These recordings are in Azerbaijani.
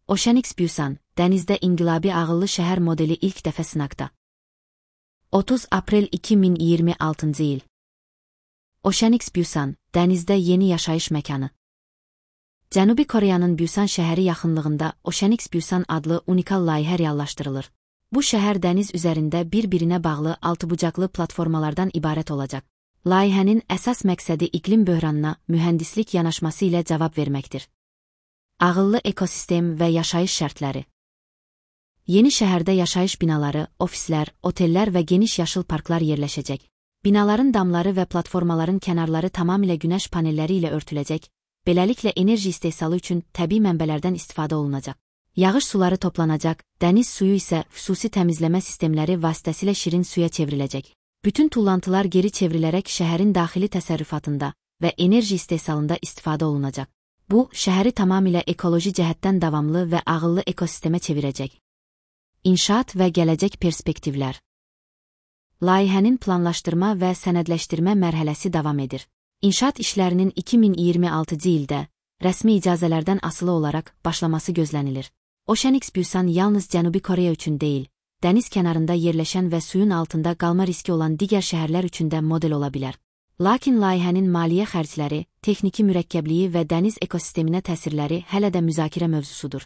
Oceanix Busan, dənizdə inqilabi ağıllı şəhər modeli ilk dəfə sınaqda. 30 aprel 2026-cı il. Oceanix Busan, dənizdə yeni yaşayış məkanı. Cənubi Koreyanın Busan şəhəri yaxınlığında Oceanix Busan adlı unikal layihə reallaşdırılır. Bu şəhər dəniz üzərində bir-birinə bağlı altıbucaqlı platformalardan ibarət olacaq. Layihənin əsas məqsədi iqlim böhranına mühəndislik yanaşması ilə cavab verməkdir. Ağıllı ekosistem və yaşayış şərtləri. Yeni şəhərdə yaşayış binaları, ofislər, otellər və geniş yaşıl parklar yerləşəcək. Binaların damları və platformaların kənarları tamamilə günəş panelləri ilə örtüləcək, beləliklə enerji istehsalı üçün təbii mənbələrdən istifadə olunacaq. Yağış suları toplanacaq, dəniz suyu isə xüsusi təmizləmə sistemləri vasitəsilə şirin suya çevriləcək. Bütün tullantılar geri çevrilərək şəhərin daxili təsərrüfatında və enerji istehsalında istifadə olunacaq. Bu, şəhəri tamamilə ekoloji cəhətdən davamlı və ağıllı ekosistemə çevirəcək. İnşaat və gələcək perspektivlər. Layihənin planlaşdırma və sənədləşdirmə mərhələsi davam edir. İnşaat işlərinin 2026-cı ildə rəsmi icazələrdən asılı olaraq başlaması gözlənilir. Oceanix Busan yalnız Cənubi Koreya üçün deyil, dəniz kənarında yerləşən və suyun altında qalma riski olan digər şəhərlər üçün də model ola bilər. Lakin layihənin maliyyə xərcləri, texniki mürəkkəbliyi və dəniz ekosisteminə təsirləri hələ də müzakirə mövzusudur.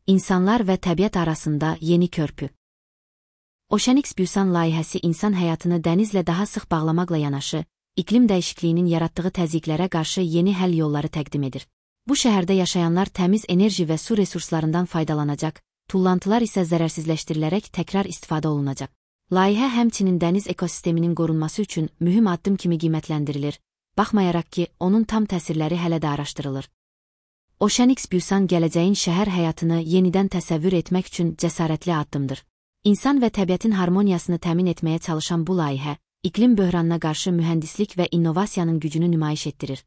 İnsanlar və təbiət arasında yeni körpü. Oceanix Busan layihəsi insan həyatını dənizlə daha sıx bağlamaqla yanaşı, iqlim dəyişikliyinin yaratdığı təzyiqlərə qarşı yeni həll yolları təqdim edir. Bu şəhərdə yaşayanlar təmiz enerji və su resurslarından faydalanacaq, tullantılar isə zərərsizləşdirilərək təkrar istifadə olunacaq. Layihə həmçinin dəniz ekosisteminin qorunması üçün mühüm addım kimi qiymətləndirilir, baxmayaraq ki, onun tam təsirləri hələ də araşdırılır. Oceanix Busan gələcəyin şəhər həyatını yenidən təsəvvür etmək üçün cəsarətli addımdır. İnsan və təbiətin harmoniyasını təmin etməyə çalışan bu layihə, iqlim böhranına qarşı mühəndislik və innovasiyanın gücünü nümayiş etdirir.